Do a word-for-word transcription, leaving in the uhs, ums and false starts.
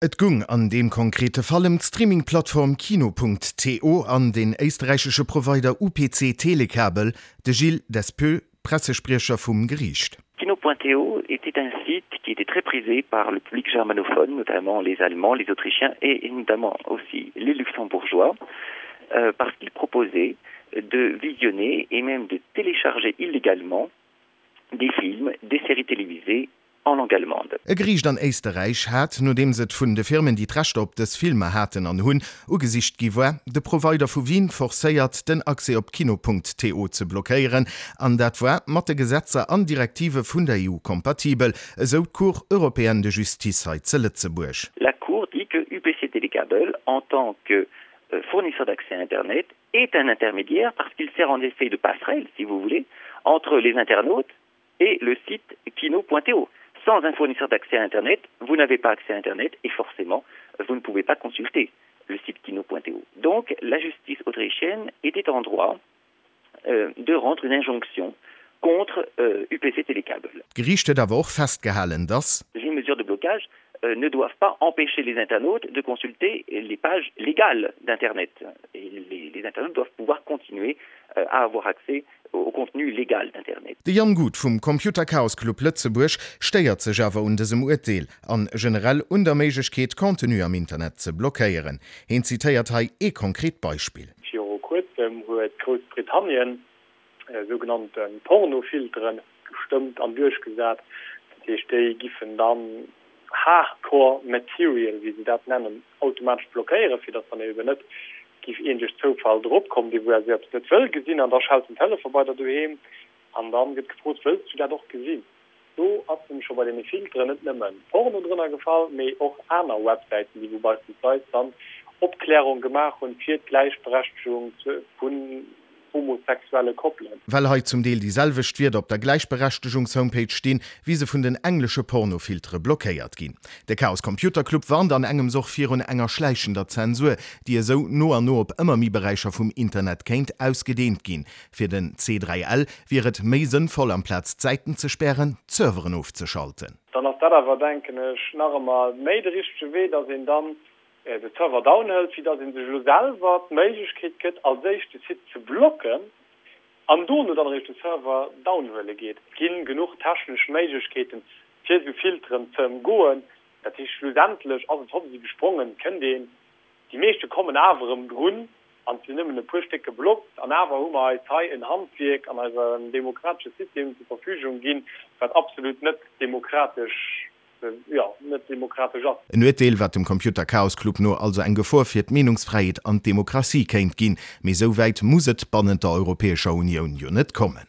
Et goung an deem konkrete Fall ëm d'Streaming-Plattform Kino.to an den éisträichesche Provider UPC Telekabel, de Gilles Despeux, Pressespriecher vum Geriicht. Kino.to était un site qui était très prisé par le public germanophone, notamment les Allemands, les Autrichiens et notamment aussi les Luxembourgeois, euh, parce qu'il proposait de visionner et même de télécharger illégalement des films, des séries télévisées en langue allemande. E Geriicht an Éisterräich hat, nodeems et vun de Firmen, déi d'Rechter op dës Filmer haten an hunn, ugesicht gi war, de Provider vu Wien forcéiert, den Accès op Kino.to ze blockéieren, an dat war mat de Gesetzer an Direktive vun der EU kompatibel, esou d'Cour européenne de justice hei zu Lëtzebuerg. La Cour dit que UPC Télécable, en tant que euh, fournisseur d'accès à Internet, est un intermédiaire parce qu'il sert en effet de passerelle, si vous voulez, entre les internautes et le site kino.to. Sans un fournisseur d'accès à Internet, vous n'avez pas accès à Internet et forcément, vous ne pouvez pas consulter le site kino.to. Donc, la justice autrichienne était en droit euh, de rendre une injonction contre euh, UPC Télécable. D'Geriicht huet awer och festgehalen, dass. Les mesures de blocage euh, ne doivent pas empêcher les internautes de consulter les pages légales d'Internet. Et les, les internautes doivent pouvoir continuer euh, à avoir accès au contenu légal d'Internet. De Jan Guth vum Computer Chaos Club Lëtzebuerg stéiert sech awer un dësem Urteel an generell un der Méiglechkeet, Contenu am Internet ze blockéieren. Hien zitéiert hei ee konkret Beispill. Viru kuerzem huet Groussbritannien sougenannte Pornofiltere gestëmmt an duerchgesat. Dat heescht, déi giffen dann Hardcore Material, wéi se dat nennen, automatesch blockéieren, fir datt dann eben net giff een duerch Zoufall drop kommen, dee wou esou eppes net wëll gesinn, an da schellt den Telefon bei der doheem an dann gëtt gefrot, wëlls du dat och gesinn? Do ass nämlech scho bei deene Filteren net nëmmen Porno drënner gefall, mee och aner Websäiten, déi wou beispillsweis dann Opklärung gemaach hunn fir d'Gläichberechtegung vun homosexuelle Koppelen. Well hei zum Deel déi selwecht Wierder op der Gläichberechtegungshomepage stinn, wéi se vun den englesche Pornofiltere blockéiert ginn. De Chaos Computer Club warnt an engems och virun enger schläichender Zensur, déi esou no an no op ëmmer méi Beräicher vum Internet kéint ausgedeent ginn. Fir den C dräi L wier et méi sënnvoll, amplaz d'Säiten ze spären, d'Serveren ofzeschalten. Dann ass dat awer, denken ech, nach ëmmer méi de richtege Wee, dass een dann de Server down hëlt, wéi dass ee sech elo selwer d'Méiglechkeet gëtt, als éischt de Site ze blocken an dono dann eréischt de Server down huele geet. Et gi genuch technesch Méiglechkeeten, fir esou Filteren ze ëmgoen. Dat heescht, schlussendlech ass et hoppsi gesprongen, kënnt een, déi meeschte kommen awer erëm drun an et sinn nëmmen e puer Stéck geblockt an awer hu mer eis hei en Handwierk an eisem demokratesche System zur Verfügung ginn, wat absolut net demokratesch jo, net demokratesch ass. En Urteel, wat dem Computer Chaos Club no also eng Gefor fir d'Meenungsfräiheet an d'Demokratie kéint ginn. Mee esou wäit muss et bannent der Europäescher Unioun jo net kommen.